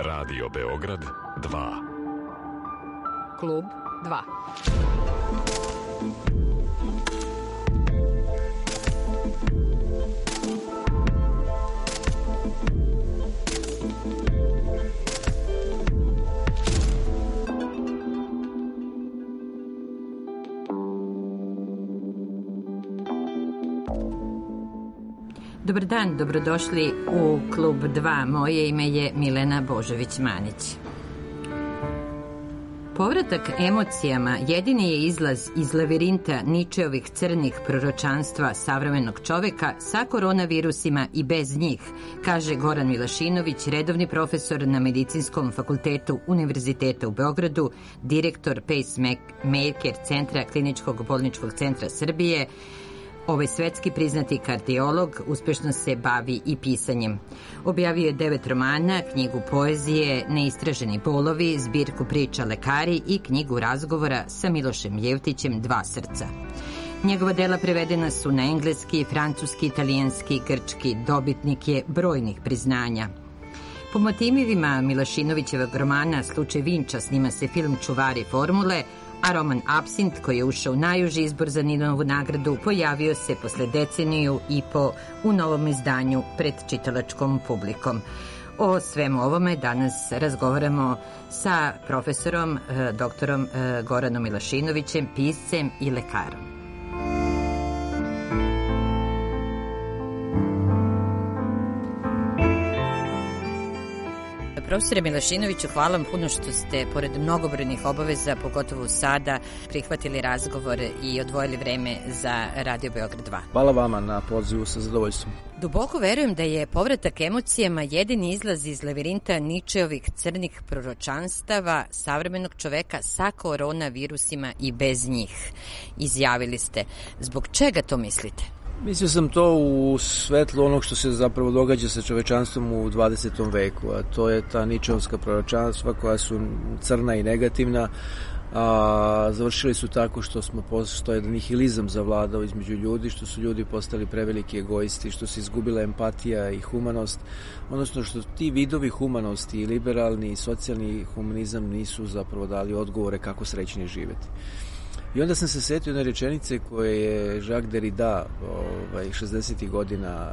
Radio Beograd 2. Klub 2. Dobar dan, dobrodošli u Klub 2. Moje ime je Milena Božović-Manić. Povratak emocijama jedini je izlaz iz lavirinta Ničeovih crnih proročanstva savremenog čoveka sa koronavirusima i bez njih, kaže Goran Milašinović, redovni profesor na Medicinskom fakultetu Univerziteta u Beogradu, direktor Pacemaker centra Kliničkog bolničkog centra Srbije. Ovaj svetski priznati kardiolog uspešno se bavi i pisanjem. Objavio je 9 romana, knjigu poezije Neistraženi bolovi, zbirku priča lekari i knjigu razgovora sa Milošem Jevtićem Dva srca. Njegova dela prevedena su na engleski, francuski, italijanski, grčki, dobitnik je brojnih priznanja. Po motivima Milašinovićevog romana Slučaj Vinča snima se film Čuvari formule, a roman Apsint, koji je ušao u najuži izbor za Ninovu nagradu, pojavio se posle deceniju i po u novom izdanju pred čitalačkom publikom. O svemu ovome danas razgovaramo sa profesorom, doktorom Goranom Milašinovićem, piscem i lekarom. Profesore Milašinoviću, hvala vam puno što ste, pored mnogobrojnih obaveza, pogotovo sada, prihvatili razgovor i odvojili vreme za Radio Beograd 2. Hvala vama na pozivu, sa zadovoljstvom. Duboko verujem da je povratak emocijama jedini izlaz iz lavirinta Ničeovih crnih proročanstava savremenog čoveka sa koronavirusima i bez njih. Izjavili ste. Zbog čega to mislite? Mislio sam to u svetlu onog što se zapravo događa sa čovečanstvom u 20. veku, a to je ta ničeovska proročanstva koja su crna i negativna, a završili su tako što je nihilizam zavladao između ljudi, što su ljudi postali preveliki egoisti, što se izgubila empatija i humanost, odnosno što ti vidovi humanosti i liberalni i socijalni humanizam nisu zapravo dali odgovore kako srećnije živeti. I onda sam se setio jedne rečenice koje je Jacques Derrida 60. godina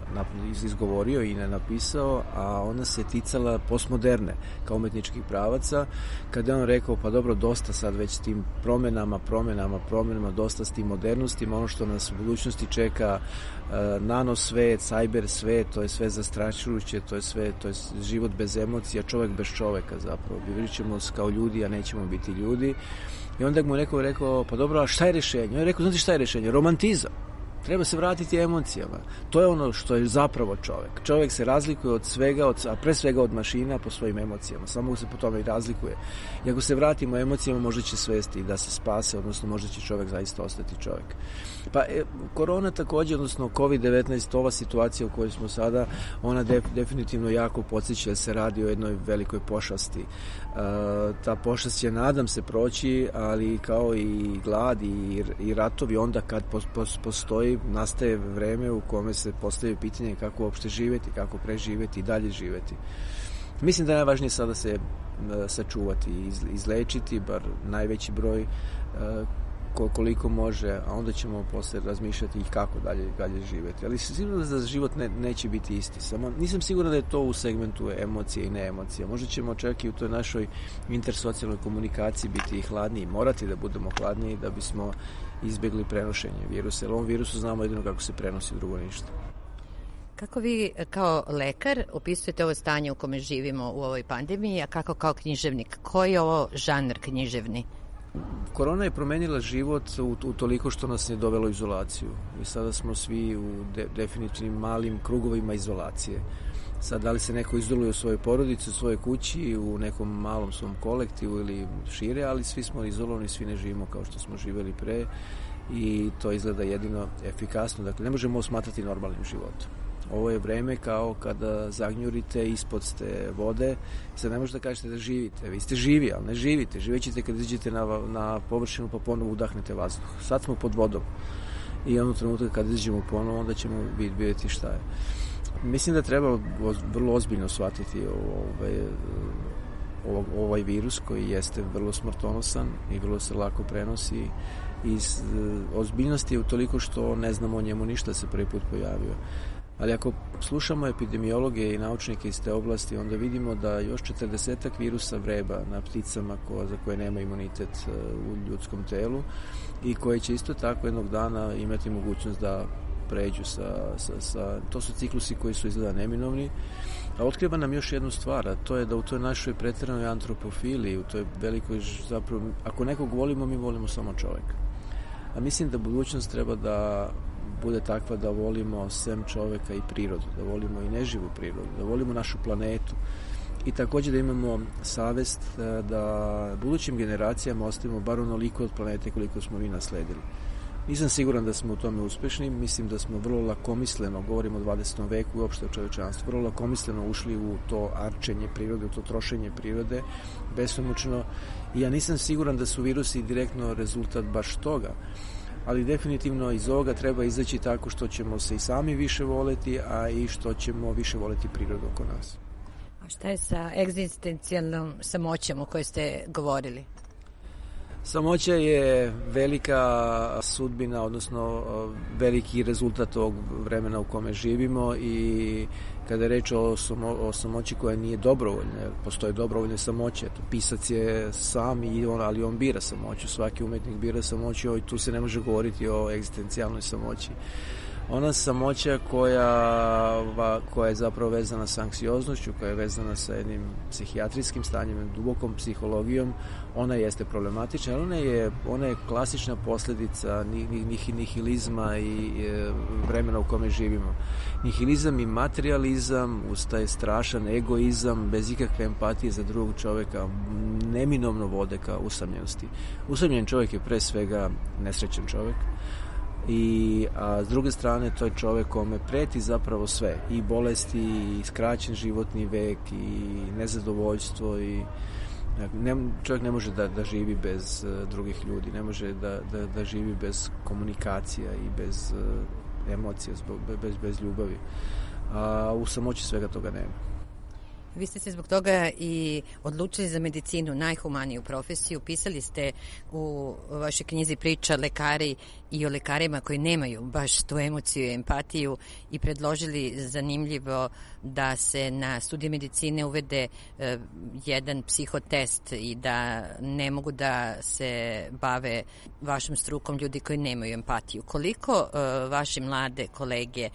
izgovorio i napisao, a ona se ticala postmoderne kao umetničkih pravaca, kada je on rekao, pa dobro, dosta sad već s tim promenama, dosta s tim modernostima, ono što nas u budućnosti čeka, nano svet, cyber svet, to je sve zastrašujuće, to je život bez emocija, čovek bez čoveka zapravo. Bivit ćemo kao ljudi, a nećemo biti ljudi. I onda mu neko rekao, pa dobro, a šta je rešenje? On je rekao, znate šta je rešenje? Romantizam. Treba se vratiti emocijama. To je ono što je zapravo čovek. Čovek se razlikuje od svega, a pre svega od mašina po svojim emocijama. Samo se po tome i razlikuje. I ako se vratimo emocijama, možda će svesti da se spase, odnosno možda će čovek zaista ostati čovek. Pa korona takođe, odnosno COVID-19, ova situacija u kojoj smo sada, ona definitivno jako podsjeća da se radi o jednoj velikoj pošasti. Ta pošast će, nadam se, proći, ali kao i glad i ratovi, onda kad nastaje vreme u kome se postavi pitanje kako uopšte živeti, kako preživeti i dalje živeti. Mislim da je najvažnije sada se sačuvati i izlečiti, bar najveći broj koliko može, a onda ćemo posle razmišljati i kako dalje živeti. Ali sigurno da život neće biti isti. Samo nisam siguran da je to u segmentu emocije i neemocije. Možda ćemo čak i u toj našoj intersocijalnoj komunikaciji biti i hladniji, morati da budemo hladniji da bismo izbjegli prenošenje virusa. Jer ovom virusu znamo jedino kako se prenosi, drugo ništa. Kako vi kao lekar opisujete ovo stanje u kome živimo u ovoj pandemiji, a kako kao književnik? Koji je ovo žanr književni? Korona je promenila život u toliko što nas je dovelo u izolaciju. I sada smo svi u definitivnim malim krugovima izolacije. Sad, da li se neko izoluje u svojoj porodici, u svojoj kući, u nekom malom svom kolektivu ili šire, ali svi smo izolovani, svi ne živimo kao što smo živeli pre i to izgleda jedino efikasno. Dakle, ne možemo smatrati normalnim životom. Ovo je vreme kao kada zagnjurite, ispod ste vode, sad ne možete da kažete da živite. Vi ste živi, ali ne živite. Živećete kad izađete na površinu pa ponovo udahnete vazduh. Sad smo pod vodom i onog trenutka kad izađemo ponovo, onda ćemo vidjeti šta je. Mislim da treba vrlo ozbiljno shvatiti ovaj virus koji jeste vrlo smrtonosan i vrlo se lako prenosi. I ozbiljnost je utoliko što ne znamo o njemu ništa, se prvi put pojavio. Ali ako slušamo epidemiologe i naučnike iz te oblasti, onda vidimo da još 40 virusa vreba na pticama za koje nema imunitet u ljudskom telu i koje će isto tako jednog dana imati mogućnost da pređu to su ciklusi koji su izgleda neminovni. A otkriva nam još jednu stvar, a to je da u toj našoj pretjeranoj antropofiliji, u toj velikoj, zapravo, ako nekog volimo, mi volimo samo čovjeka. A mislim da budućnost treba da bude takva da volimo sem čovjeka i prirodu, da volimo i neživu prirodu, da volimo našu planetu i također da imamo savest da budućim generacijama ostavimo bar onoliko od planete koliko smo mi nasledili. Nisam siguran da smo u tome uspešni, mislim da smo vrlo lakomisleno, govorimo o 20. veku i uopšte o čovječanstvu, vrlo lakomisleno ušli u to arčenje prirode, u to trošenje prirode, besomučno, i ja nisam siguran da su virusi direktno rezultat baš toga, ali definitivno iz ovoga treba izaći tako što ćemo se i sami više voleti, a i što ćemo više voleti prirodu oko nas. A šta je sa egzistencijalnom samoćom o kojoj ste govorili? Samoća je velika sudbina, odnosno veliki rezultat ovog vremena u kome živimo, i kada je reč o samoći koja nije dobrovoljna, postoje dobrovoljne samoće. Pisac je sam, ali on bira samoću, svaki umetnik bira samoću, i tu se ne može govoriti o egzistencijalnoj samoći. Ona samoća koja je zapravo vezana sa anksioznošću, koja je vezana sa jednim psihijatrijskim stanjem, dubokom psihologijom, ona jeste problematična, ali ona je klasična posljedica nihilizma i vremena u kome živimo. Nihilizam i materializam, uz taj strašan egoizam, bez ikakve empatije za drugog čovjeka, neminovno vode ka usamljenosti. Usamljen čovjek je pre svega nesrećan čovjek, a s druge strane to je čovjek kome preti zapravo sve, i bolesti, i skraćen životni vek, i nezadovoljstvo, i čovjek ne može da živi bez drugih ljudi, ne može da živi bez komunikacija i bez emocija, bez ljubavi, a u samoći svega toga nema. Vi ste se zbog toga i odlučili za medicinu, najhumaniju profesiju. Pisali ste u vašoj knjizi Priča lekari i o lekarima koji nemaju baš tu emociju i empatiju, i predložili, zanimljivo, da se na studije medicine uvede jedan psihotest i da ne mogu da se bave vašom strukom ljudi koji nemaju empatiju. Koliko vaše mlade kolege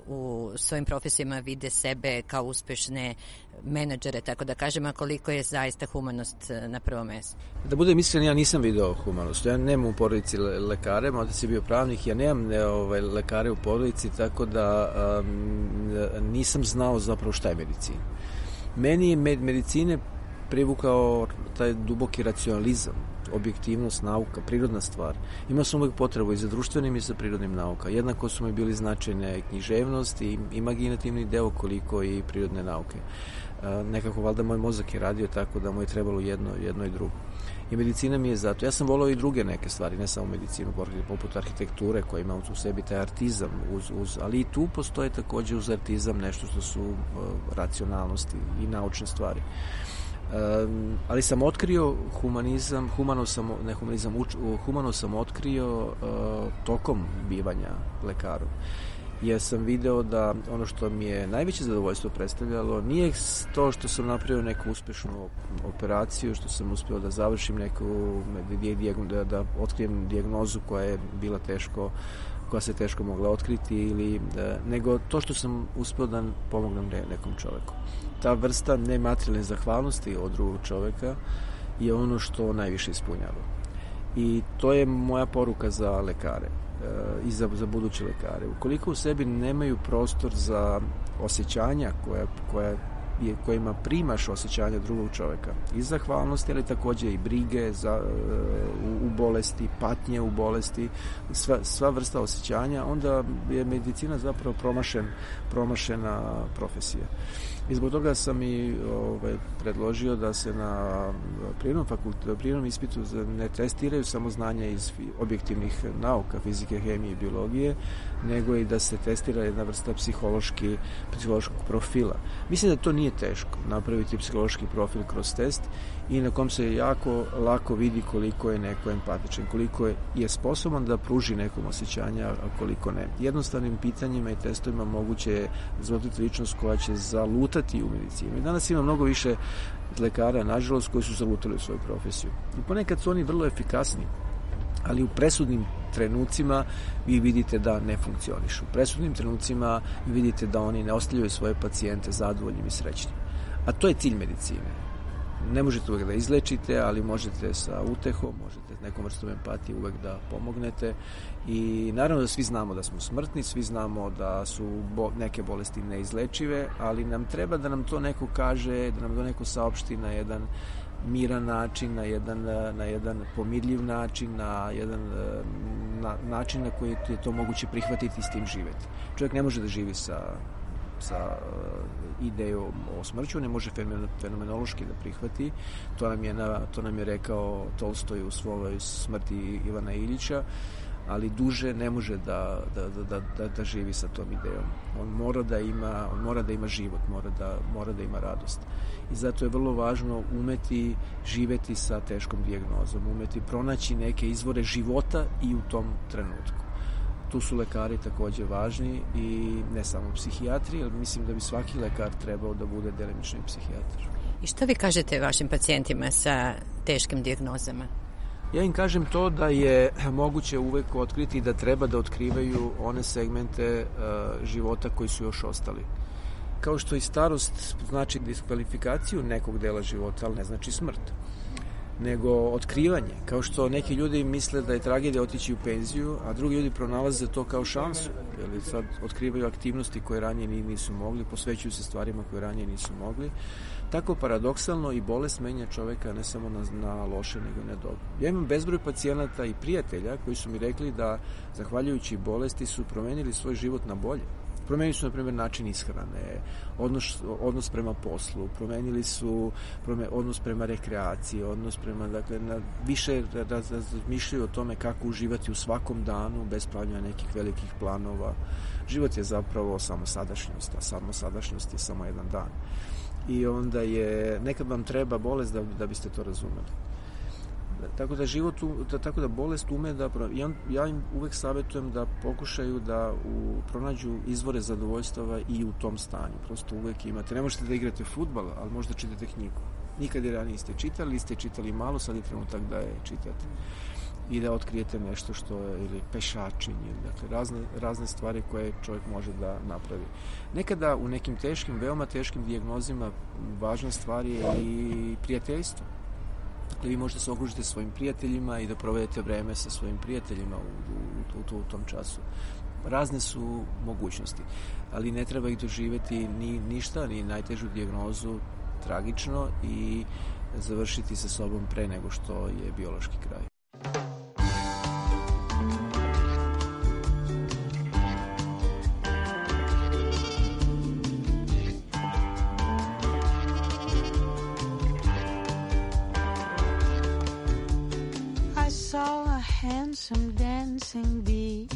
u svojim profesijama vide sebe kao uspešne menadžere, tako da kažem, a koliko je zaista humanost na prvom mjestu? Da budem iskren, ja nisam video humanost. Ja nemam u porodici lekare, možda si bio pravnik, ja nemam lekare u porodici, tako da nisam znao zapravo šta je medicina. Meni je medicine privukao taj duboki racionalizam, objektivnost, nauka, prirodna stvar. Imao sam uvijek potrebu i za društvenim i za prirodnim nauka. Jednako su mi bili značajne književnost i imaginativni deo koliko i prirodne nauke. Nekako valjda moj mozak je radio tako da mu je trebalo jedno i drugo. I medicina mi je zato. Ja sam volao i druge neke stvari, ne samo medicinu, poput arhitekture koja ima u sebi taj artizam, ali i tu postoje također uz artizam nešto što su racionalnosti i naučne stvari. Ali sam otkrio humano sam otkrio tokom bivanja lekarom. Jer sam video da ono što mi je najveće zadovoljstvo predstavljalo nije to što sam napravio neku uspešnu operaciju, što sam uspio da završim da otkrijem dijagnozu koja se teško mogla otkriti, nego to što sam uspio da pomognem nekom čovjeku. Ta vrsta nematerijalne zahvalnosti od drugog čovjeka je ono što najviše ispunjava. I to je moja poruka za lekare i za buduće lekare. Ukoliko u sebi nemaju prostor za osjećanja koja kojima primaš osjećanja drugog čoveka. I zahvalnosti, ali takođe i brige u bolesti, patnje u bolesti, sva vrsta osjećanja, onda je medicina zapravo promašena profesija. I zbog toga sam i predložio da se na prirodnom ispitu ne testiraju samo znanja iz objektivnih nauka, fizike, hemije i biologije, nego i da se testira jedna vrsta psihološkog profila. Mislim da to nije teško, napraviti psihološki profil kroz test i na kom se jako lako vidi koliko je neko empatičan, koliko je sposoban da pruži nekom osjećanja, a koliko ne. Jednostavnim pitanjima i testovima moguće je razmotriti ličnost koja će zalutati u medicinu. I danas ima mnogo više lekara, nažalost, koji su zalutali u svoju profesiju. I ponekad su oni vrlo efikasni, ali u presudnim trenucima vi vidite da ne funkcionišu. U presudnim trenucima vi vidite da oni ne ostavljaju svoje pacijente zadovoljnim i srećnim. A to je cilj medicine. Ne možete uvek da izlečite, ali možete sa utehom, možete nekom vrstom empatije uvek da pomognete i naravno da svi znamo da smo smrtni, svi znamo da su neke bolesti neizlečive, ali nam treba da nam to neko kaže, da nam to neko saopšti na jedan miran način, na jedan pomirljiv način, na jedan način na koji je to moguće prihvatiti i s tim živeti. Čovjek ne može da živi sa idejom o smrću, ne može fenomenološki da prihvati. To nam je rekao Tolstoj u svojoj Smrti Ivana Iljića, ali duže ne može da živi sa tom idejom. On mora da ima život, mora da ima radost. I zato je vrlo važno umeti živeti sa teškom dijagnozom, umeti pronaći neke izvore života i u tom trenutku. Tu su lekari takođe važni i ne samo psihijatri, ali mislim da bi svaki lekar trebao da bude delimični psihijatar. I što vi kažete vašim pacijentima sa teškim dijagnozama? Ja im kažem to da je moguće uvek otkriti da treba da otkrivaju one segmente života koji su još ostali. Kao što i starost znači diskvalifikaciju nekog dela života, ali ne znači smrt, nego otkrivanje. Kao što neki ljudi misle da je tragedija otići u penziju, a drugi ljudi pronalaze to kao šansu. Jer sad otkrivaju aktivnosti koje ranije nisu mogli, posvećuju se stvarima koje ranije nisu mogli. Tako paradoksalno i bolest menja čoveka ne samo na loše, nego na dobro. Ja imam bezbroj pacijenata i prijatelja koji su mi rekli da, zahvaljujući bolesti, su promenili svoj život na bolje. Promenili su, na primjer, način ishrane, odnos prema poslu, promenili su odnos prema rekreaciji, odnos prema, dakle, više razmišljaju o tome kako uživati u svakom danu, bez pravljanja nekih velikih planova. Život je zapravo samo sadašnjost, a samo sadašnjost je samo jedan dan. I onda nekad vam treba bolest da biste to razumeli. Tako da bolest ume da... Ja im uvek savjetujem da pokušaju da pronađu izvore zadovoljstava i u tom stanju. Prosto uvek imate. Ne možete da igrate fudbal, ali možda čitate knjigu. Nikad je ranije ste čitali malo, sad je trenutak da je čitate. I da otkrijete nešto što je, ili pešačenje, dakle razne stvari koje čovjek može da napravi. Nekada u nekim veoma teškim dijagnozima važna stvar je i prijateljstvo. Dakle, vi možete se okružiti svojim prijateljima i da provedete vreme sa svojim prijateljima u tom času. Razne su mogućnosti, ali ne treba ih doživeti ni najtežu dijagnozu tragično i završiti sa sobom pre nego što je biološki kraj. Handsome dancing bee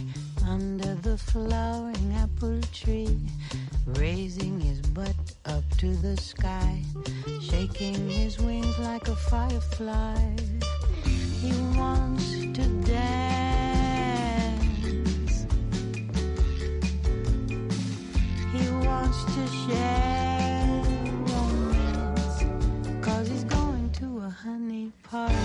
under the flowering apple tree, raising his butt up to the sky, shaking his wings like a firefly. He wants to dance. He wants to share romance, 'cause he's going to a honey party.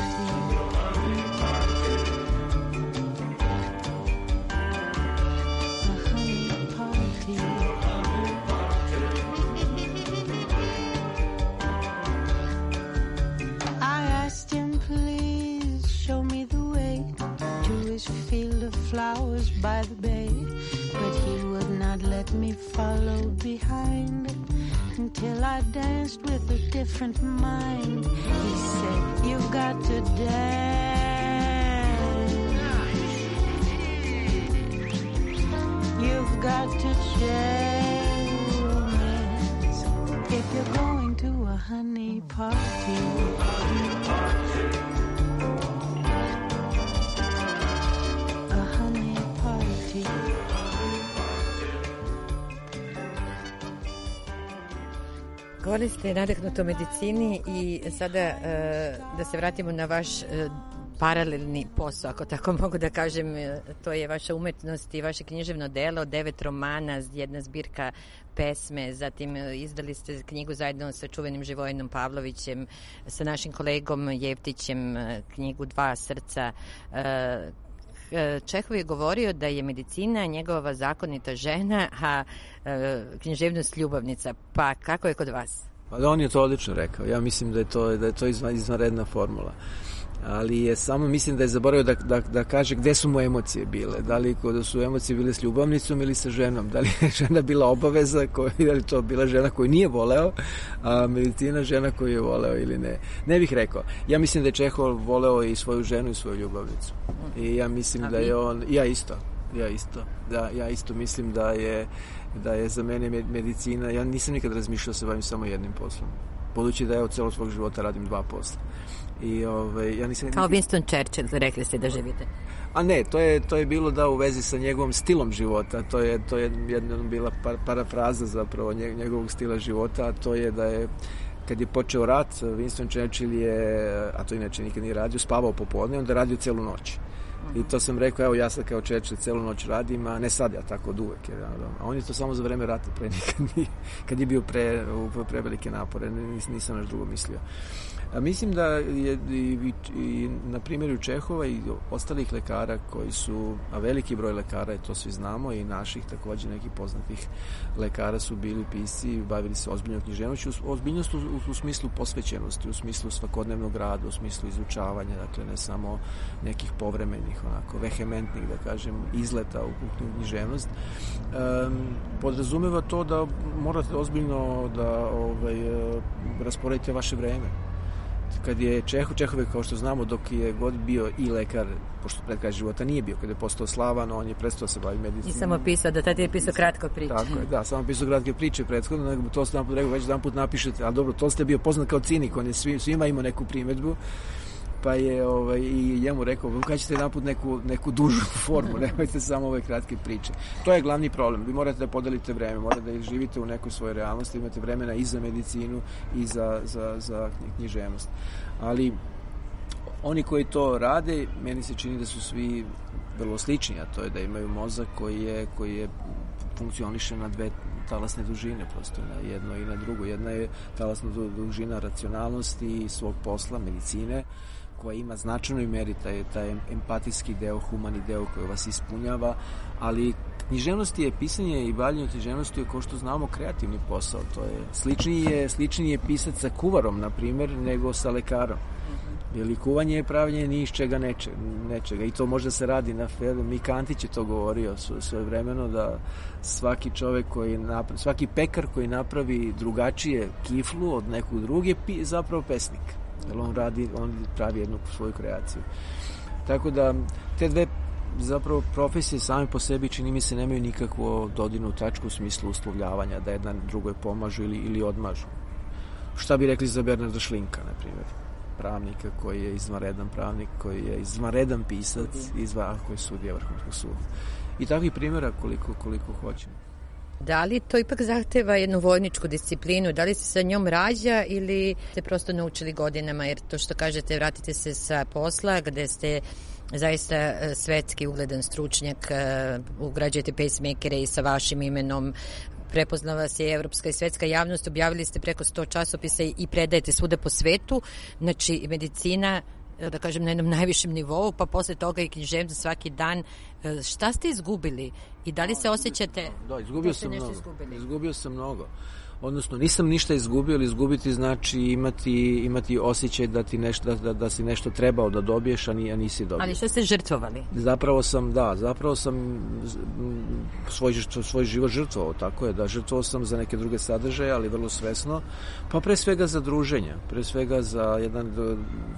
Flowers by the bay, but he would not let me follow behind. until I danced with a different mind. He said, you've got to dance. You've got to dance. If you're going to a honey party. Govorili ste nadahnuto o medicini i sada da se vratimo na vaš paralelni posao, ako tako mogu da kažem, to je vaša umetnost i vaše književno delo, 9 romana, jedna zbirka pesme, zatim izdali ste knjigu zajedno sa čuvenim Živojinom Pavlovićem, sa našim kolegom Jevtićem, knjigu Dva srca. Čehov je govorio da je medicina njegova zakonita žena, a književnost ljubavnica. Pa kako je kod vas? Pa on je to odlično rekao. Ja mislim da je to izvanredna formula. Ali samo mislim da je zaboravio da kaže gde su mu emocije bile. Da li da su emocije bile s ljubavnicom ili sa ženom. Da li je žena bila obaveza, da li to bila žena koju nije voleo, a medicina žena koju je voleo ili ne. Ne bih rekao. Ja mislim da je Čehov voleo i svoju ženu i svoju ljubavnicu. I ja mislim da je on... Ja isto mislim da je za mene medicina... Ja nisam nikad razmišljao da se bavim samo jednim poslom. Budući da ja od celog svog života radim 2 posla. Ja nisam... Kao Winston Churchill, rekli ste da živite. A ne, to je bilo da u vezi sa njegovim stilom života. To je jedna bila parafraza zapravo njegovog stila života, a to je da je kad je počeo rat, Winston Churchill je, a to inače nikad nije radio, spavao popodne, onda radio celu noć. I to sam rekao, evo ja sad kao Churchill celu noć radim, a ne sad ja tako od uvek. A on je to samo za vreme rata, pre nikad nije, kad je bio prevelike napore, nisam naš drugo mislio. A mislim da je i na primjeru Čehova i ostalih lekara koji su, a veliki broj lekara je, to svi znamo, i naših takođe nekih poznatih lekara su bili pisci, bavili se ozbiljnom književnošću, ozbiljnost u smislu posvećenosti, u smislu svakodnevnog rada, u smislu izučavanja, dakle ne samo nekih povremenih, onako vehementnih, da kažem, izleta u književnost. Podrazumeva to da morate ozbiljno da rasporedite vaše vreme. Kad je Čehov je, kao što znamo, dok je god bio i lekar, pošto pred kraj života nije bio, kada je postao slavan, on je prestao se baviti medicinom. I samo pisao, da tada je pisao kratko priče. Tako je, da, samo pisao kratke priče prethodno, nego to ste nam rekao, već jedan put napišete, ali dobro, to ste bio poznat kao cinik, on je svima imao neku primedbu, pa je i njemu rekao, kada ćete jedan put neku dužu formu, nemojte samo ove kratke priče. To je glavni problem, vi morate da podelite vreme, morate da živite u nekoj svojoj realnosti, imate vremena i za medicinu i za književnost. Ali oni koji to rade, meni se čini da su svi vrlo slični, a to je da imaju mozak koji je funkcioniše na 2 talasne dužine, prosto na jedno i na drugo. Jedna je talasna dužina racionalnosti i svog posla, medicine, koja ima značajnoj meri taj empatijski deo, humani deo koji vas ispunjava, ali književnost je, pisanje i bavljenje književnosti je, kao što znamo, kreativni posao. To je sličniji je pisac sa kuvarom, na primjer, nego sa lekarom. Jer kuvanje je pravljenje ni iz čega nečega. I to možda se radi na Mika Antić je to govorio svojevremeno, da svaki čovek svaki pekar koji napravi drugačije kiflu od nekog druge je zapravo pesnik. Jer on pravi jednu svoju kreaciju. Tako da te dve zapravo profesije same po sebi, čini mi se, nemaju nikakvu dodirnu tačku u smislu uslovljavanja, da jedna drugoj pomažu ili odmažu. Šta bi rekli za Bernarda Šlinka, na primjer, pravnika koji je izvanredan pravnik, koji je izvanredan pisac, koji je sudija Vrhovnog suda. I takvih primjera koliko hoćemo. Da li to ipak zahteva jednu vojničku disciplinu? Da li se sa njom rađa ili ste prosto naučili godinama? Jer to što kažete, vratite se sa posla gde ste zaista svetski ugledan stručnjak, ugrađujete pacemakere i sa vašim imenom, prepoznala vas je evropska i svetska javnost, objavili ste preko 100 časopisa i predajete svuda po svetu, znači medicina, da kažem, na jednom najvišem nivou, pa posle toga i književnost svaki dan. Šta ste izgubili i da li se osjećate? Da, izgubio sam mnogo. Odnosno, nisam ništa izgubio, ali izgubiti znači imati osjećaj da ti nešto, da si nešto trebao da dobiješ, a nisi dobio. Ali što ste žrtvovali? Zapravo sam svoj život žrtvovao, tako je, da, žrtvovao sam za neke druge sadržaje, ali vrlo svesno, pa pre svega za druženje, pre svega za jedan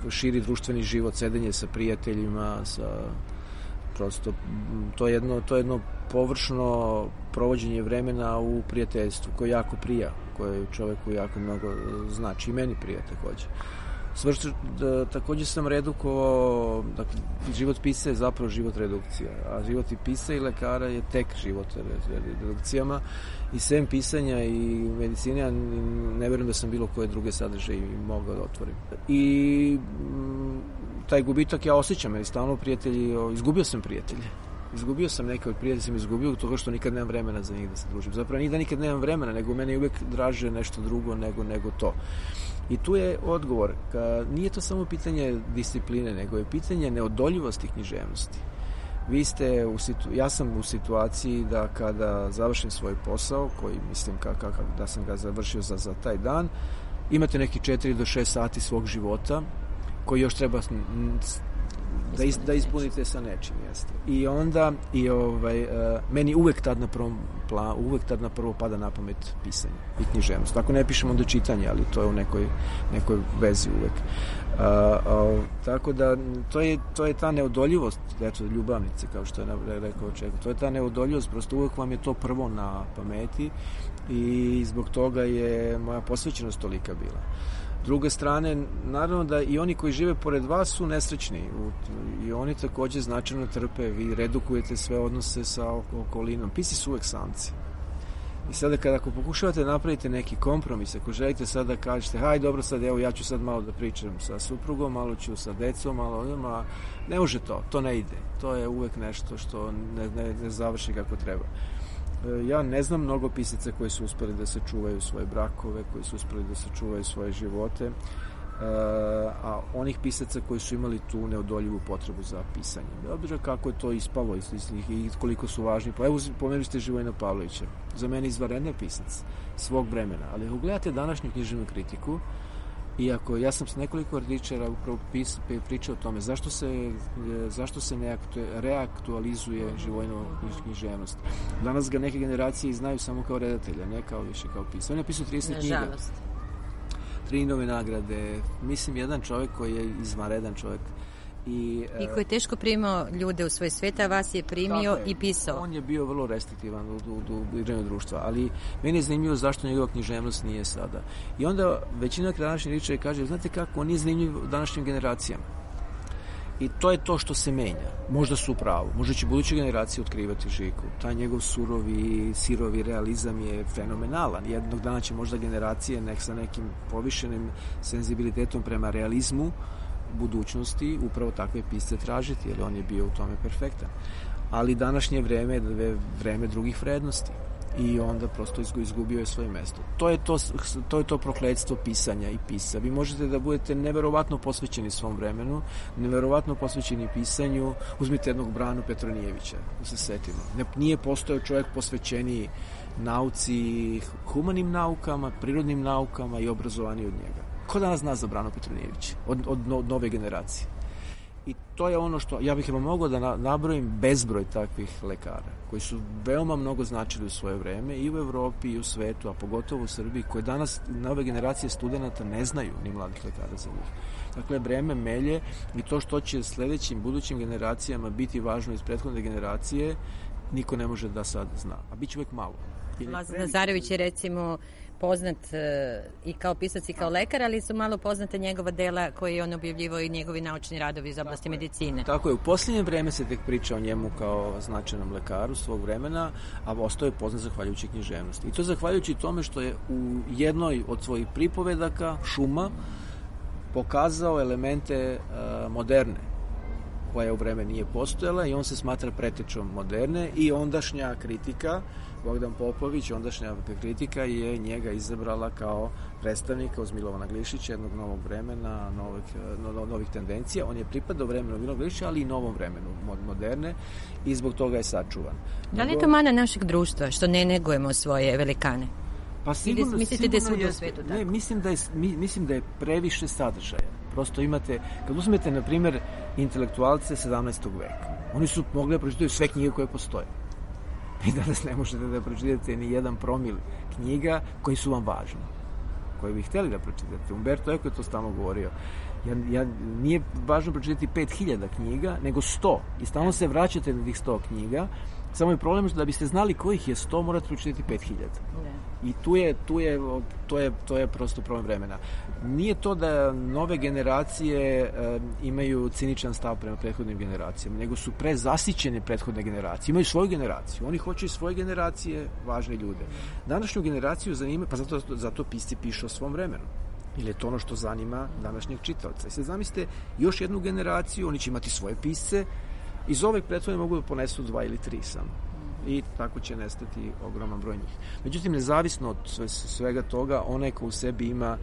širi društveni život, sedenje sa prijateljima, prosto, to je jedno površno provođenje vremena u prijateljstvu, koje jako prija, koje čoveku jako mnogo znači, i meni prija takođe. Takođe sam redukovao, dakle, život pisca je zapravo život redukcija, a život i pisca i lekara je tek život redukcijama, i sem pisanja i medicine, ja ne verujem da sam bilo koje druge sadržaje mogao da otvorim. I taj gubitak ja osjećam, jer stalno prijatelji, izgubio sam prijatelje. Izgubio sam neke od prijatelja, sam izgubio toga što nikad nemam vremena za njih da se družim. Zapravo nije da nikad nemam vremena, nego mene je uvek draže nešto drugo nego to. I tu je odgovor. Nije to samo pitanje discipline, nego je pitanje neodoljivosti književnosti. Ja sam u situaciji da kada završim svoj posao, koji mislim da sam ga završio za taj dan, imate neki 4 do 6 sati svog života koji još treba da ispunite sa nečim, jeste. I onda meni uvek tad na prvo pada na pamet pisanje i književnost. Ako ne pišem, onda čitanje, ali to je u nekoj vezi uvek. Tako da to je ta neodoljivost, eto, ljubavnice, kao što je rekao Čeko, to je ta neodoljivost, prosto uvek vam je to prvo na pameti i zbog toga je moja posvećenost tolika bila. Druge strane, naravno da i oni koji žive pored vas su nesrećni i oni takođe značajno trpe, vi redukujete sve odnose sa okolinom. Pisci su uvek samci. I sada ako pokušavate da napravite neki kompromis, ako želite sada da kažete, haj dobro sad, evo ja ću sad malo da pričam sa suprugom, malo ću sa decom, malo, ne može to ne ide. To je uvek nešto što ne završi kako treba. Ja ne znam mnogo pisaca koji su uspeli da se čuvaju svoje brakove, koji su uspeli da se čuvaju svoje živote, a onih pisaca koji su imali tu neodoljivu potrebu za pisanje. Obzira kako je to ispalo i koliko su važni. Pa evo, pomenuli ste Živojina Pavlovića. Za mene izvanredan pisac svog vremena. Ali ako gledate današnju književnu kritiku, iako ja sam s nekoliko kritičara upravo pričao o tome zašto se ne reaktualizuje Živojinova književnost. Danas ga neke generacije znaju samo kao redatelja, ne kao više kao pisao. On je napisao 30 knjiga. Nažalost. 3 nove nagrade. Mislim, jedan čovjek koji je izvanredan čovjek. I koji je teško primao ljude u svoj svet, a vas je primio i pisao. On je bio vrlo restriktivan u igranju društva, ali meni je zanimljivo zašto njegova književnost nije sada. I onda većina današnjih ričeva kaže, znate kako, on nije zanimljiv današnjim generacijama. I to je to što se menja. Možda su u pravu. Možda će buduće generacije otkrivati Žiku. Taj njegov sirovi realizam je fenomenalan. Jednog dana će možda generacije sa nekim povišenim senzibilitetom prema realizmu budućnosti upravo takve pisce tražiti, jer on je bio u tome perfektan. Ali današnje vreme je vreme drugih vrednosti i onda prosto izgubio je svoje mesto. To je to prokletstvo pisanja i pisca. Vi možete da budete neverovatno posvećeni svom vremenu, neverovatno posvećeni pisanju. Uzmite jednog Branu Petronijevića, da se setimo. Nije postojao čovjek posvećeniji nauci, humanim naukama, prirodnim naukama i obrazovaniji od njega. Ko danas zna za Branu Petronijevića od nove generacije? I to je ono što, ja bih mogao da nabrojim bezbroj takvih lekara, koji su veoma mnogo značili u svoje vreme i u Evropi i u svetu, a pogotovo u Srbiji, koje danas nove generacije studenata ne znaju, ni mladih lekara za njih. Dakle, vreme melje i to što će sledećim, budućim generacijama biti važno iz prethodne generacije, niko ne može da sad zna. A bit će uvek malo. Lazar Nazarević je recimo poznat i kao pisac i kao lekar, ali su malo poznate njegova dela koje je on objavljivao i njegovi naučni radovi iz oblasti medicine. Tako je, u posljednje vreme se tek priča o njemu kao značajnom lekaru svog vremena, a ostao je poznat zahvaljujući književnosti. I to zahvaljujući tome što je u jednoj od svojih pripovedaka, Šuma, pokazao elemente moderne, koja u vreme nije postojala, i on se smatra pretečom moderne, i ondašnja kritika, Bogdan Popović, ondašnja kritika, je njega izabrala kao predstavnika uz Milovana Glišića, jednog novog vremena, novih tendencija. On je pripadao vremenu Milovana Glišića, ali i novom vremenu moderne, i zbog toga je sačuvan. Da li je to mana našeg društva, što ne negujemo svoje velikane? Pa sigurno, mislite da je svuda u svetu tako? Ne, mislim da je previše sadržaja. Prosto imate, kad uzmete, na primjer, intelektualce 17. veka, oni su mogli da pročitaju sve knjige koje postoje. I danas ne možete da pročitate ni jedan promil knjiga koji su vam važni, koje bi hteli da pročitate. Umberto Eco je to stalno govorio. Nije važno pročitati 5000 knjiga, nego 100. I stalno se vraćate na tih 100 knjiga. Samo je problem što da biste znali kojih je 100, morate pročitati 5000. I to je prosto problem vremena. Nije to da nove generacije imaju ciničan stav prema prethodnim generacijama, nego su prezasićene prethodne generacije. Imaju svoju generaciju. Oni hoće iz svoje generacije važne ljude. Današnju generaciju zanima, pa zato pisci pišu o svom vremenu. Ili je to ono što zanima današnjeg čitaoca. I sad zamislite još jednu generaciju, oni će imati svoje pisce, iz ove prethodne mogu da ponesu 2 ili 3 samo. I tako će nestati ogroman broj njih. Međutim, nezavisno od svega toga, onaj ko u sebi ima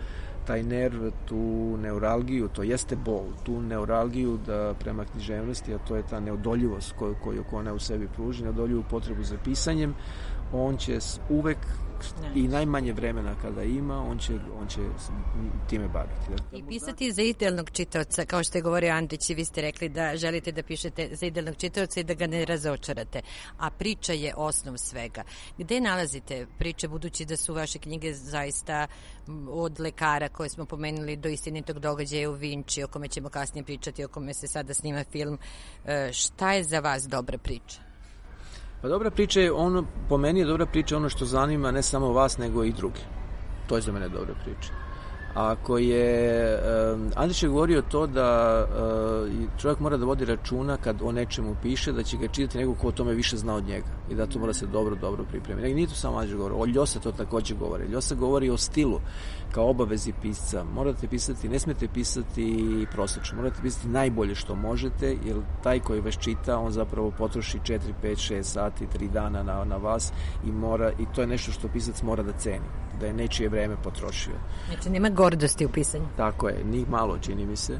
taj nerv, tu neuralgiju, to jeste bol, tu neuralgiju da prema književnosti, a to je ta neodoljivost koju ona u sebi pruži, neodoljivu potrebu za pisanjem, on će uvek i najmanje vremena kada ima, on će time baviti. I pisati za idealnog čitaoca, kao što je govorio Andrić, i vi ste rekli da želite da pišete za idealnog čitaoca i da ga ne razočarate. A priča je osnov svega. Gde nalazite priče, budući da su vaše knjige zaista od lekara koje smo pomenuli do istinitog događaja u Vinči, o kome ćemo kasnije pričati, o kome se sada snima film. Šta je za vas dobra priča? Pa dobra priča je po meni je dobra priča ono što zanima ne samo vas, nego i druge. To je za mene dobra priča. Ako je, Andrić je govorio to da čovjek mora da vodi računa kad o nečemu piše, da će ga čitati neko ko o tome više zna od njega i da to mora se dobro pripremiti. Nije to samo Andrić govori, o Ljosa to takođe govori. Ljosa govori o stilu kao obavezi pisca. Morate pisati, ne smete pisati prosečno, morate pisati najbolje što možete, jer taj koji vas čita, on zapravo potroši 4, 5, 6 sati, 3 dana na vas i to je nešto što pisac mora da ceni, da je nečije vreme potrošio. Znači nema gordosti u pisanju. Tako je, ni malo čini mi se.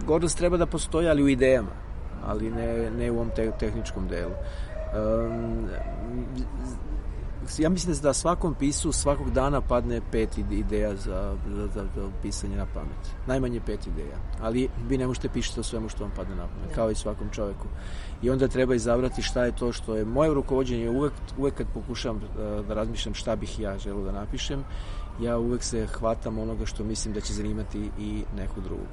Gordost treba da postoji, ali u idejama, ali ne u ovom tehničkom delu. Ja mislim da svakom pisu svakog dana padne 5 ideja za pisanje na pamet. Najmanje 5 ideja. Ali vi ne možete pišiti o svemu što vam padne na pamet, kao i svakom čoveku. I onda treba izabrati šta je to što je moje rukovođenje. Uvek kad pokušavam da razmišljam šta bih ja želeo da napišem, ja uvek se hvatam onoga što mislim da će zanimati i nekog drugog.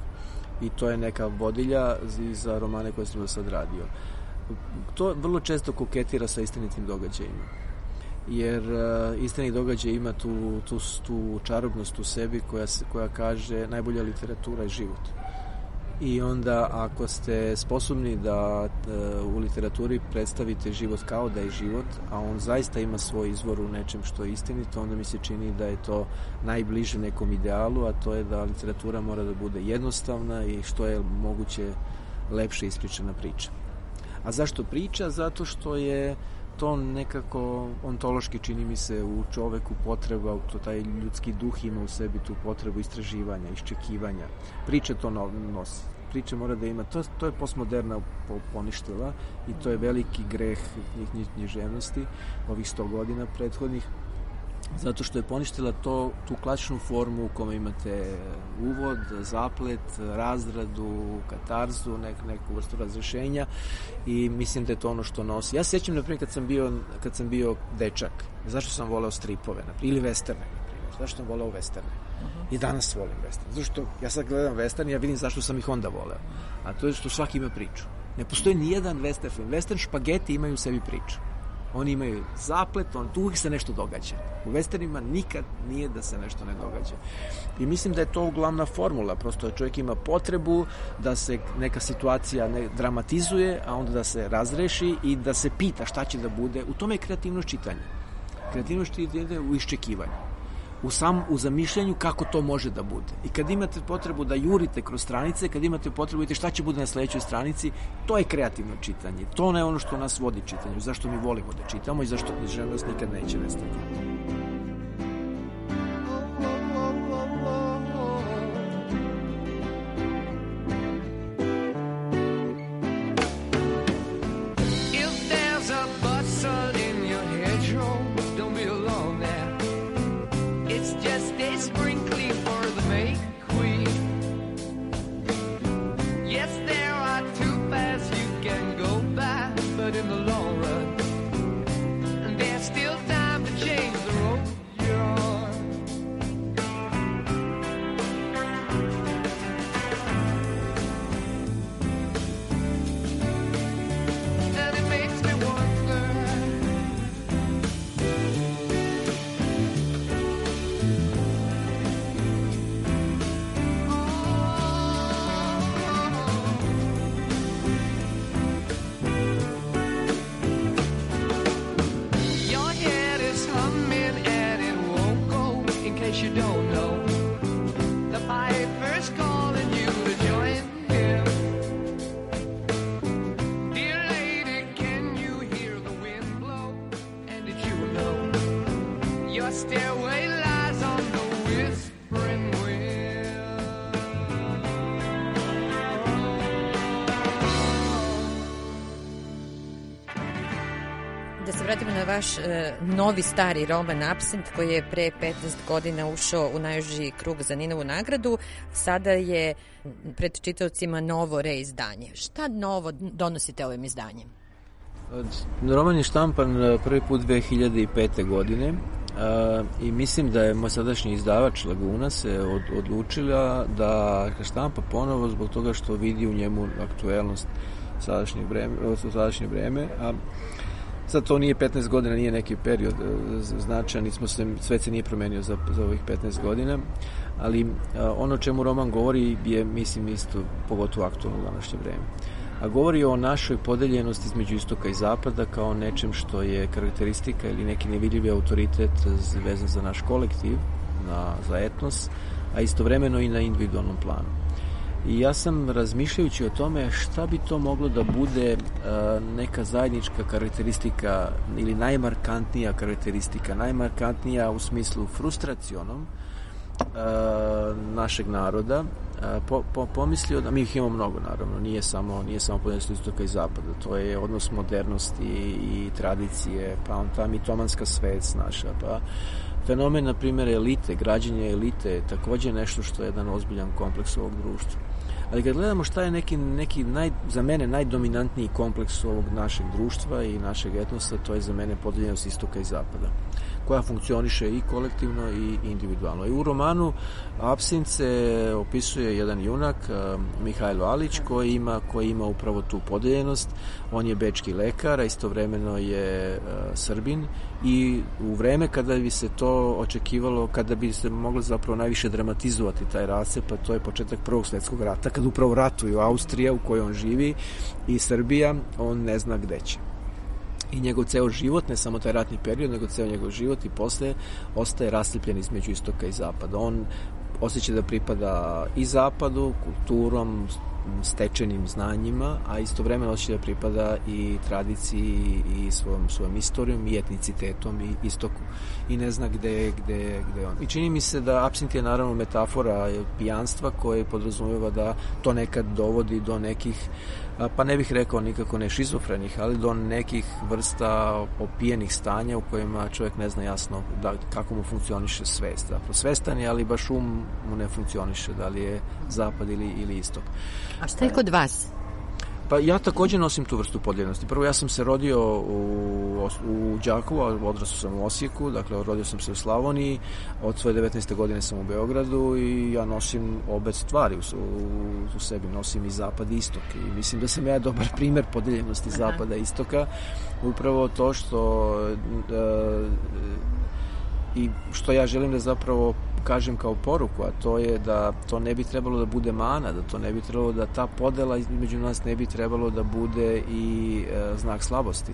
I to je neka vodilja za romane koje sam do sad radio. To vrlo često koketira sa istinitim događajima. Jer istinit događaj ima tu čarobnost u sebi koja kaže najbolja literatura je život. I onda ako ste sposobni da u literaturi predstavite život kao da je život, a on zaista ima svoj izvor u nečem što je istinito, onda mi se čini da je to najbliže nekom idealu, a to je da literatura mora da bude jednostavna i što je moguće lepše ispričana priča. A zašto priča? Zato što je to nekako ontološki, čini mi se, u čoveku potreba, to taj ljudski duh ima u sebi tu potrebu istraživanja, iščekivanja. Priča to nosi. Priča mora da ima, to je postmoderna poništila i to je veliki greh književnosti ovih 100 godina prethodnih, zato što je poništila tu klasičnu formu u kome imate uvod, zaplet, razradu, katarzu, neku vrstu razrešenja i mislim da je to ono što nosi. Ja se sjećam, na primjer, kad sam bio dečak, zašto sam voleo stripove, ili westerne, na primjer, zašto sam voleo westerne. I danas volim western. Zato što ja sad gledam western i ja vidim zašto sam ih onda voleo. A to je što svaki ima priču. Ne postoji ni jedan western film. Western špageti imaju u sebi priču. Oni imaju zaplet, tu uvijek se nešto događa. U westernima nikad nije da se nešto ne događa. I mislim da je to glavna formula. Prosto čovjek ima potrebu da se neka situacija ne dramatizuje, a onda da se razreši i da se pita šta će da bude. U tome je kreativnost čitanja. Kreativnost čitanja u iščekivanju. U zamišljanju kako to može da bude. I kad imate potrebu da jurite kroz stranice, kad imate potrebu da vidite šta će bude na sledećoj stranici, to je kreativno čitanje. To je ono što nas vodi čitanju, zašto mi volimo da čitamo i zašto književnost nikad neće nestati. If there's a bustle in your hedgerow, don't be you don't know. The piper's calling you to join him. Dear lady, can you hear the wind blow? And did you know your stairway lies on the whispering wind? Da se vratimo na vaš novi stari roman Apsint, koji je pre 15 godina ušao u najuži krug za Ninovu nagradu. Sada je pred čitaocima novo reizdanje. Šta novo donosite ovim izdanjem? Roman je štampan prvi put 2005. godine i mislim da je moj sadašnji izdavač Laguna se odlučila da štampa ponovo zbog toga što vidi u njemu aktuelnost sadašnje vreme, a sad to nije 15 godina, nije neki period značajan, svet se nije promenio za ovih 15 godina, ali ono čemu roman govori je, mislim, isto pogotovo aktualno u današnje vreme. A govori o našoj podeljenosti između istoka i zapada kao nečem što je karakteristika ili neki nevidljivi autoritet vezan za naš kolektiv, za etnos, a istovremeno i na individualnom planu. I ja sam, razmišljajući o tome šta bi to moglo da bude neka zajednička karakteristika ili najmarkantnija karakteristika, najmarkantnija u smislu frustracionom našeg naroda, pomislio da mi ih imamo mnogo, naravno, nije samo podeljenost istoka i zapada, to je odnos modernosti i tradicije, pa on ta mitomanska svest naša, pa fenomen, na primjer, elite, građenje elite je takođe nešto što je jedan ozbiljan kompleks ovog društva. Ali kad gledamo šta je neki za mene najdominantniji kompleks ovog našeg društva i našeg etnosa, to je za mene podeljenost istoka i zapada, koja funkcioniše i kolektivno i individualno. I u romanu Apsint se opisuje jedan junak, Mihajlo Alić, koji ima upravo tu podeljenost. On je bečki lekar, a istovremeno je Srbin, i u vreme kada bi se to očekivalo, kada bi se moglo zapravo najviše dramatizovati taj rascep, pa to je početak Prvog svjetskog rata, kada upravo ratuju Austrija u kojoj on živi i Srbija, on ne zna gde će. I njegov ceo život, ne samo taj ratni period, nego ceo njegov život i posle ostaje rascijepljen između istoka i zapada. On osjeća da pripada i zapadu, kulturom, stečenim znanjima, a istovremeno osjeća da pripada i tradiciji i svojom istorijom i etnicitetom i istoku. I ne zna gde on. I čini mi se da Apsint je naravno metafora pijanstva koje podrazumeva da to nekad dovodi do nekih, pa ne bih rekao nikako ne šizofrenih, ali do nekih vrsta opijenih stanja u kojima čovjek ne zna jasno kako mu funkcioniše svest. Zapravo svestan je, ali baš mu ne funkcioniše, da li je zapad ili istok. A šta je kod vas? Pa ja takođe nosim tu vrstu podeljenosti. Prvo, ja sam se rodio u Đakovu, a odrastao sam u Osijeku, dakle rodio sam se u Slavoniji, od svoje 19. godine sam u Beogradu i ja nosim obe stvari u sebi, nosim i zapad i istok, i mislim da sam ja dobar primer podeljenosti zapada i istoka, upravo to što ja želim da zapravo kažem kao poruku, a to je da to ne bi trebalo da bude mana, da to ne bi trebalo da ta podela između nas ne bi trebalo da bude i znak slabosti,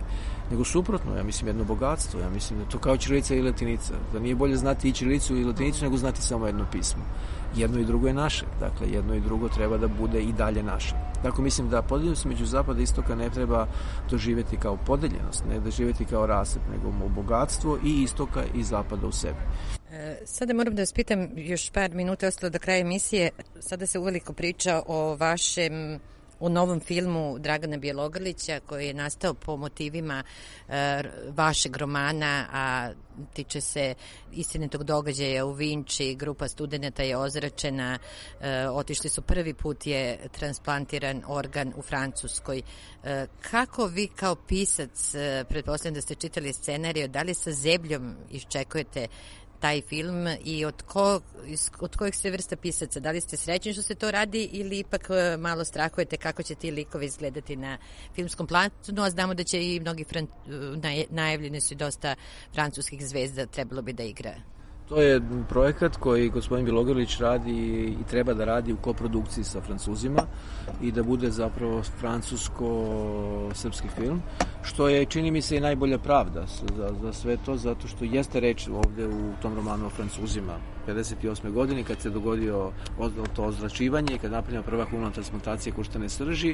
nego suprotno, ja mislim jedno bogatstvo, ja mislim da to kao ćirilica i latinica, da nije bolje znati i ćirilicu i latinicu nego znati samo jedno pismo. Jedno i drugo je naše, dakle jedno i drugo treba da bude i dalje naše. Dakle, mislim da podeljenost među zapada i istoka ne treba doživjeti kao podeljenost, ne doživjeti kao rascep, nego bogatstvo i istoka i zapada u sebi. Sada moram da vas pitam, još par minuta ostalo do kraja emisije. Sada se uveliko priča o novom filmu Dragana Bjelogrlića, koji je nastao po motivima vašeg romana, a tiče se istinitog događaja u Vinči. Grupa studenata je ozračena, otišli su, prvi put je transplantiran organ u Francuskoj. Kako vi kao pisac, pretpostavljam da ste čitali scenariju, da li sa zebljom iščekujete taj film i od kojih ste vrsta pisaca? Da li ste srećni što se to radi ili ipak malo strahujete kako će ti likovi izgledati na filmskom planu, a znamo da će i mnogi najavljeni su i dosta francuskih zvezda, trebalo bi da igra? To je projekat koji gospodin Bilogrlić radi i treba da radi u koprodukciji sa Francuzima i da bude zapravo francusko-srpski film, što je, čini mi se, i najbolja pravda za sve to, zato što jeste reč ovde u tom romanu o Francuzima. 58. godini, kad se dogodio to ozračivanje i kad napravljena prva humana transplantacija koštane srži,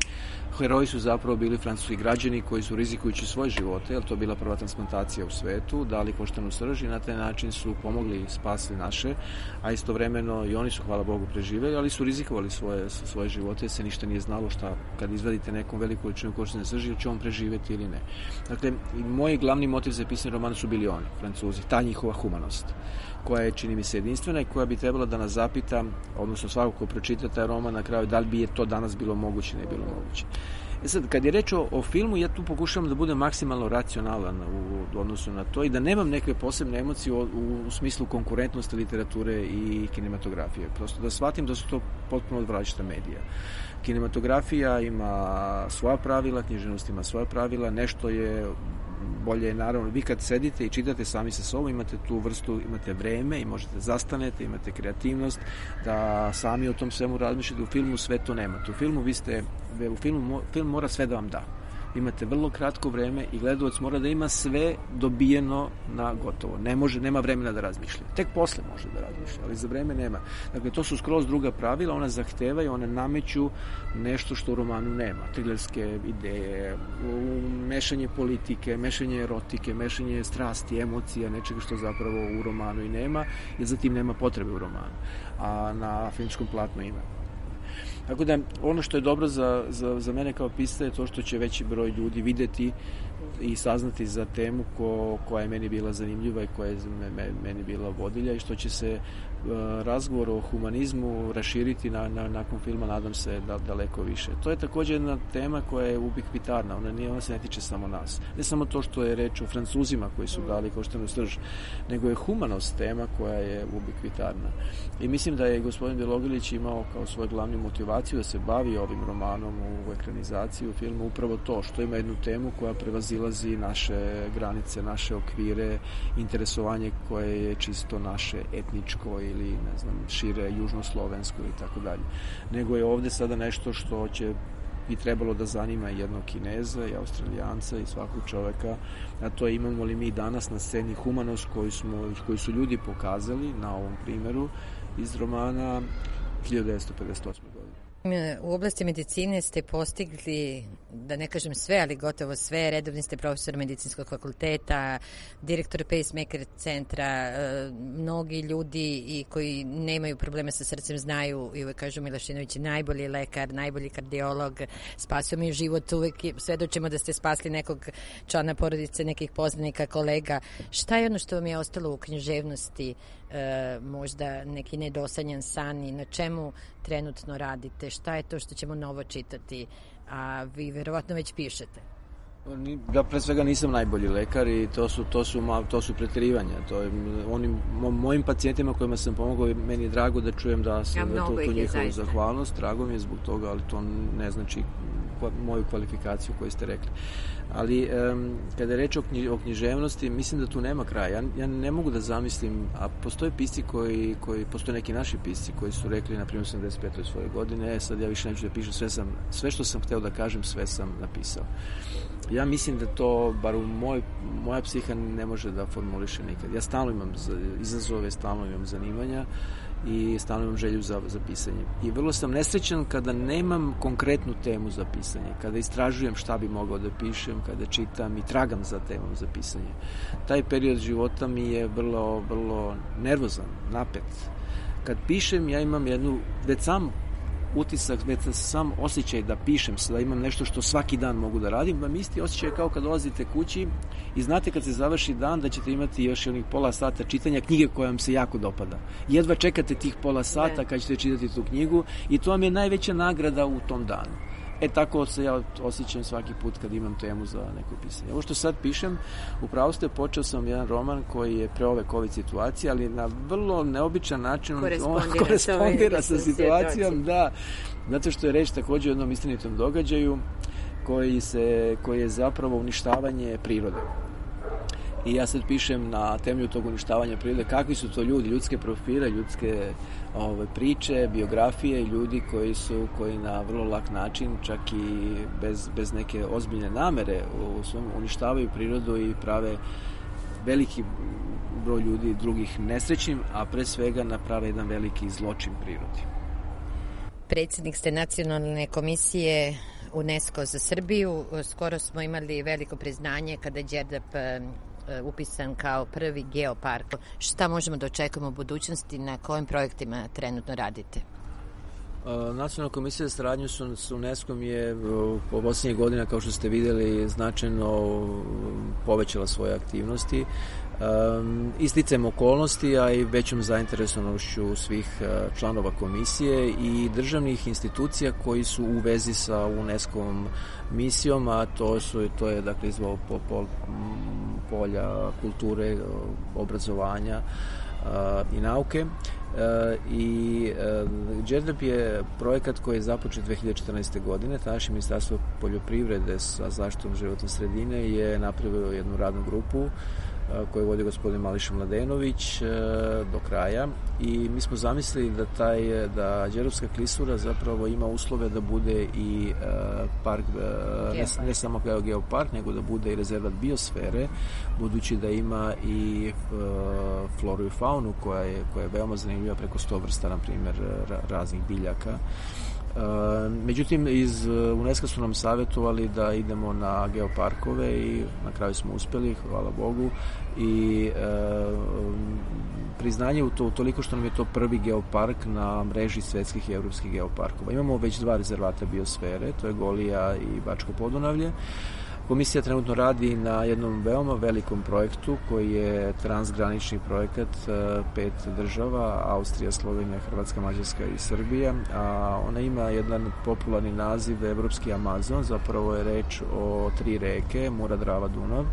heroji su zapravo bili francuski građani koji su, rizikujući svoje živote, jer to je bila prva transplantacija u svetu, dali koštanu srž i na taj način su pomogli i spasli naše, a istovremeno i oni su, hvala Bogu, preživeli, ali su rizikovali svoje živote, se ništa nije znalo šta, kad izvadite nekom veliku količinu koštane srži, ili će on preživeti ili ne. Dakle, moj glavni motiv za pisanje romana su bili oni, Francuzi, ta njihova humanost, koja je, čini mi se, jedinstvena i koja bi trebala da nas zapita, odnosno svako ko pročita taj roman na kraju, da li bi je to danas bilo moguće, ne bilo moguće. Sad, kad je reč o filmu, ja tu pokušavam da budem maksimalno racionalan u odnosu na to i da nemam neke posebne emocije u smislu konkurentnosti literature i kinematografije. Prosto da shvatim da su to potpuno odvraćata medija. Kinematografija ima svoja pravila, književnost ima svoja pravila, nešto je bolje, naravno, vi kad sedite i čitate sami sa sobom, imate tu vrstu, imate vreme i možete zastanete, imate kreativnost, da sami o tom svemu razmišljate. U filmu sve to nemate. Film mora sve da vam da. Imate vrlo kratko vreme i gledalac mora da ima sve dobijeno na gotovo. Nema vremena da razmišlja. Tek posle može da razmišlja, ali za vreme nema. Dakle, to su skroz druga pravila, ona zahtevaju, one nameću nešto što u romanu nema. Trilerske ideje, mešanje politike, mešanje erotike, mešanje strasti, emocija, nečega što zapravo u romanu i nema, jer zatim nema potrebe u romanu. A na filmskom platnu ima. Tako da, ono što je dobro za mene kao pisca je to što će veći broj ljudi videti i saznati za temu koja je meni bila zanimljiva i koja je meni bila vodilja i što će se razgovor o humanizmu raširiti nakon filma, nadam se, daleko više. To je također jedna tema koja je ubiquitarna, ona se ne tiče samo nas. Ne samo to što je reč o Francuzima koji su dali koštanu srž, nego je humanost tema koja je ubiquitarna. I mislim da je gospodin Bilogrlić imao kao svoju glavnu motivaciju da se bavi ovim romanom u ekranizaciji, u filmu, upravo to, što ima jednu temu koja prevazilazi naše granice, naše okvire, interesovanje koje je čisto naše etničko ili, ne znam, šire južnoslovensko ili tako dalje. Nego je ovde sada nešto što bi trebalo da zanima jednog Kineza i Australijanca i svakog čoveka, a to je imamo li mi danas na sceni humanost koju su ljudi pokazali na ovom primeru iz romana 1958. godine. U oblasti medicine ste postigli, da ne kažem sve, ali gotovo sve. Redovni ste profesor medicinskog fakulteta, direktor pacemaker centra. Mnogi ljudi i koji nemaju probleme sa srcem znaju i uvek kažu Milašinović je najbolji lekar, najbolji kardiolog, spasio mi život, uvek svedočimo da ste spasli nekog člana porodice, nekih poznanika, kolega. Šta je ono što vam je ostalo u književnosti, možda neki nedosanjan san i na čemu trenutno radite? Šta je to što ćemo novo čitati? A vi verovatno već pišete. Ja pre svega nisam najbolji lekar i to su preterivanja. Mojim pacijentima kojima sam pomogao, meni je drago da čujem da sam tu njihovu zahvalnost. Drago mi je zbog toga, ali to ne znači moju kvalifikaciju koju ste rekli. Ali kada je reč o književnosti, mislim da tu nema kraja. Ja ne mogu da zamislim, a postoje pisci postoje neki naši pisci koji su rekli, na primjer, 85. svoje godine, sad ja više neću da pišem, sve što sam hteo da kažem, sve sam napisao. Ja mislim da to, bar moja psiha ne može da formuliše nikad. Ja stalno imam izazove, stalno imam zanimanja i stalno imam želju za pisanje. I vrlo sam nesrećan kada nemam konkretnu temu za pisanje, kada istražujem šta bi mogao da pišem, kada čitam i tragam za temom za pisanje. Taj period života mi je vrlo, vrlo nervozan, napet. Kad pišem, ja imam već sam utisak, već sam osjećaj da pišem, da imam nešto što svaki dan mogu da radim, vam isti osjećaj kao kad dolazite kući i znate kad se završi dan da ćete imati još onih pola sata čitanja knjige koja vam se jako dopada. Jedva čekate tih pola sata kad ćete čitati tu knjigu i to vam je najveća nagrada u tom danu. Tako se ja osjećam svaki put kad imam temu za neko pisanje. Ovo što sad pišem, upravo ste, počeo sam jedan roman koji je pre ove COVID situacije, ali na vrlo neobičan način korespondira sa situacijom, da, zato što je reč također o jednom istinitom događaju koji je zapravo uništavanje prirode. I ja sad pišem na temelju tog uništavanja prirode kakvi su to ljudi, ljudske profile, ljudske priče, biografije, ljudi koji na vrlo lak način, čak i bez neke ozbiljne namere, uništavaju prirodu i prave veliki broj ljudi drugih nesrećnim, a pre svega naprave jedan veliki zločin prirodi. Predsjednik ste Nacionalne komisije UNESCO za Srbiju. Skoro smo imali veliko priznanje kada je Đerdap upisan kao prvi geopark. Šta možemo da očekujemo u budućnosti, na kojim projektima trenutno radite? Nacionalna komisija za saradnju s UNESCO-om je po posljednjih godina, kao što ste vidjeli, značajno povećala svoje aktivnosti. Isticajem okolnosti, a i većom zainteresovanošću svih članova komisije i državnih institucija koji su u vezi sa UNESCO-om misijom, a to je dakle iz polja kulture, obrazovanja i nauke. I Đerdap je projekat koji je započet 2014. godine. Tadašnje Ministarstvo poljoprivrede sa zaštitom životne sredine je napravilo jednu radnu grupu koju vodi gospodin Mališa Mladenović do kraja i mi smo zamislili da Đerdapska klisura zapravo ima uslove da bude i park, ne samo kao geopark, nego da bude i rezervat biosfere, budući da ima i floru i faunu koja je veoma zanimljiva, preko 100 vrsta, na primjer, raznih biljaka. Međutim, iz UNESCO su nam savjetovali da idemo na geoparkove i na kraju smo uspjeli, hvala Bogu, i priznanje u toliko što nam je to prvi geopark na mreži svetskih i evropskih geoparkova. Imamo već 2 rezervata biosfere, to je Golija i Bačko Podunavlje. Komisija trenutno radi na jednom veoma velikom projektu koji je transgranični projekat 5 država, Austrija, Slovenija, Hrvatska, Mađarska i Srbija, a ona ima jedan popularni naziv Evropski Amazon, zapravo je reč o 3 reke, Mura, Drava, Dunav,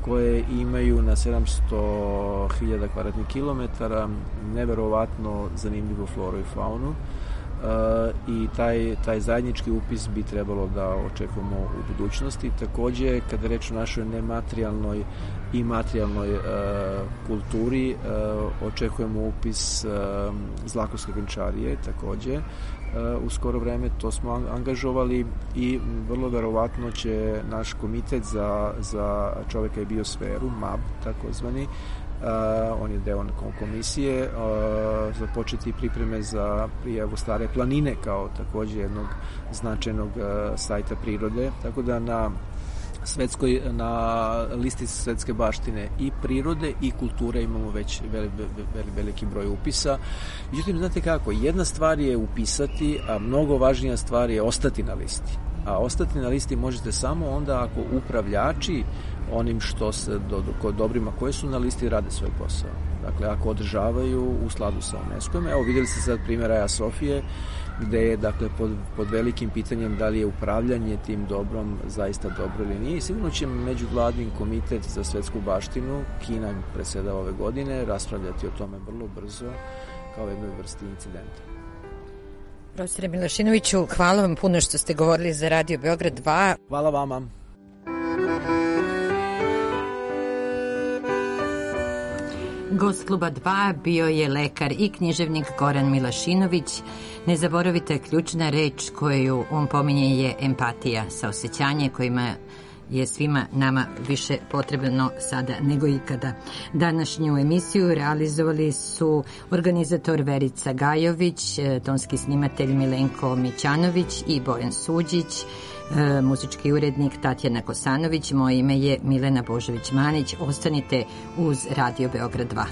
koje imaju na 700.000 kvadratnih kilometara neverovatno zanimljivu floru i faunu. I taj zajednički upis bi trebalo da očekujemo u budućnosti. Takođe, kada reč o našoj nematerijalnoj i materijalnoj kulturi, očekujemo upis Zlakovske venčarije takođe u skoro vreme, to smo angažovali i vrlo verovatno će naš komitet za čoveka i biosferu, MAB takozvani, on je deo komisije, započeti pripreme za prijavu Stare planine kao takođe jednog značajnog sajta prirode, tako da na listi svetske baštine i prirode i kulture imamo već veliki broj upisa. Međutim, znate kako, jedna stvar je upisati, a mnogo važnija stvar je ostati na listi. A ostati na listi možete samo onda ako upravljači onim dobrima koje su na listi rade svoj posao. Dakle, ako održavaju u skladu sa UNESCO-om. Evo, vidjeli ste sad primjer Aja Sofije, gde je dakle pod velikim pitanjem da li je upravljanje tim dobrom zaista dobro ili nije. Sigurno će međuvladin komitet za svetsku baštinu, Kina predsjedava ove godine, raspravljati o tome vrlo brzo kao jednoj vrsti incidenta. Profesore Milašinoviću, hvala vam puno što ste govorili za Radio Beograd 2. Hvala vama. Gost Kluba 2 bio je lekar i književnik Goran Milašinović. Ne zaboravite, ključna reč koju on pominje je empatija, saosećanje kojima je svima nama više potrebno sada nego ikada. Današnju emisiju realizovali su organizator Verica Gajović, tonski snimatelj Milenko Mićanović i Bojan Suđić, muzički urednik Tatjana Kosanović. Moje ime je Milena Božović-Manić. Ostanite uz Radio Beograd 2.